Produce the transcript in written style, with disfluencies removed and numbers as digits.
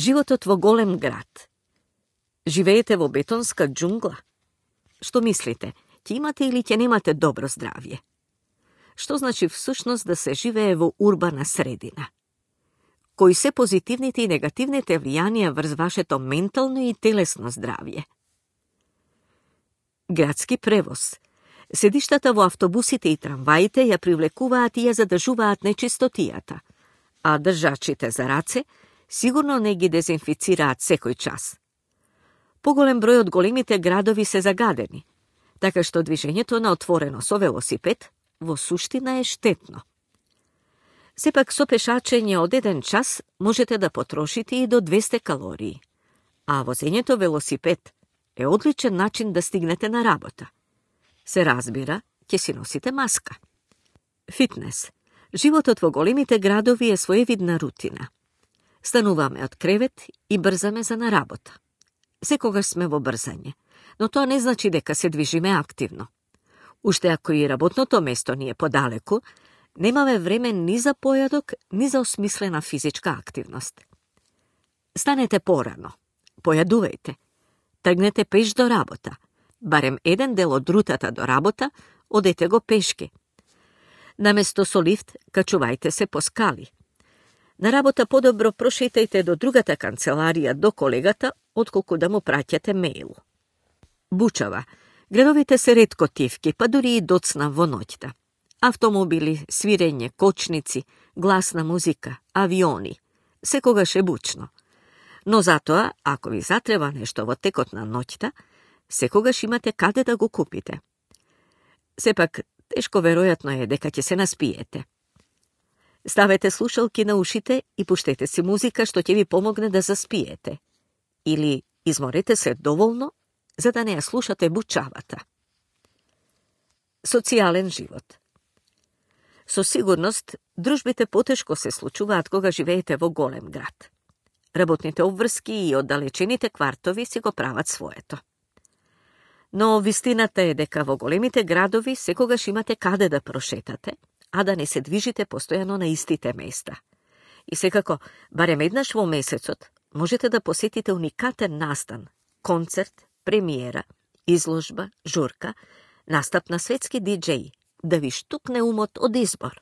Животот во голем град. Живеете во бетонска џунгла? Што мислите, ќе имате или ќе немате добро здравје? Што значи всушност да се живее во урбана средина? Кои се позитивните и негативните влијанија врз вашето ментално и телесно здравје? Градски превоз. Седиштата во автобусите и трамваите ја привлекуваат и ја задржуваат нечистотијата, а држачите за раце сигурно не ги дезинфицираат секој час. Поголем број од големите градови се загадени, така што движењето на отворено со велосипед во суштина е штетно. Сепак со пешачење од 1 час можете да потрошите и до 200 калории, а возењето велосипед е одличен начин да стигнете на работа. Се разбира, ќе си носите маска. Фитнес. Животот во големите градови е своевидна рутина. Стануваме од кревет и брзаме за на работа. Секогаш сме во брзање, но тоа не значи дека се движиме активно. Уште ако и работното место ни е подалеку, немаме време ни за појадок, ни за осмислена физичка активност. Станете порано, појадувајте, тргнете пеш до работа, барем еден дел од рутата до работа, одете го пешки. Наместо со лифт, качувајте се по скали. На работа подобро прошетајте до другата канцеларија, до колегата, отколку да му праќате мејл. Бучава. Градовите се ретко тивки, па дури и доцна во ноќта. Автомобили, свирење, кочници, гласна музика, авиони. Секогаш е бучно. Но затоа, ако ви затреба нешто во текот на ноќта, секогаш имате каде да го купите. Сепак, тешко веројатно е дека ќе се наспиете. Ставете слушалки на ушите и пуштете си музика што ќе ви помогне да заспиете. Или изморете се доволно, за да не ја слушате бучавата. Социјален живот. Со сигурност, дружбите потешко се случуваат кога живеете во голем град. Работните обврски и оддалечените квартови си го прават своето. Но вистината е дека во големите градови секогаш имате каде да прошетате, а да не се движите постојано на истите места. И секако, барем еднаш во месецот, можете да посетите уникатен настан, концерт, премиера, изложба, журка, настап на светски диџеј, да ви штукне умот од избор.